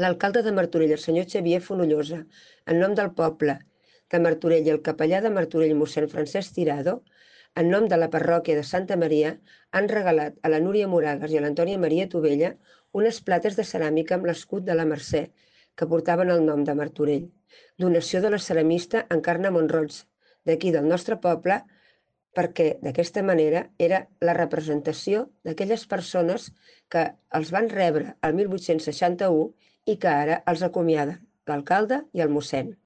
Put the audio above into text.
L'alcalde de Martorell, el senyor Xavier Fonollosa, en nom del poble de Martorell i el capellà de Martorell, mossèn Francesc Tirado, en nom de la parròquia de Santa Maria, han regalat a la Núria Moragas i a l'Antònia Maria Tovella unes plates de ceràmica amb l'escut de la Mercè, que portaven el nom de Martorell. Donació de la ceramista Encarna Monroig, d'aquí del nostre poble, perquè d'aquesta manera era la representació d'aquelles persones que els van rebre el 1861 i que ara els acomiaden, l'alcalde i el mossèn.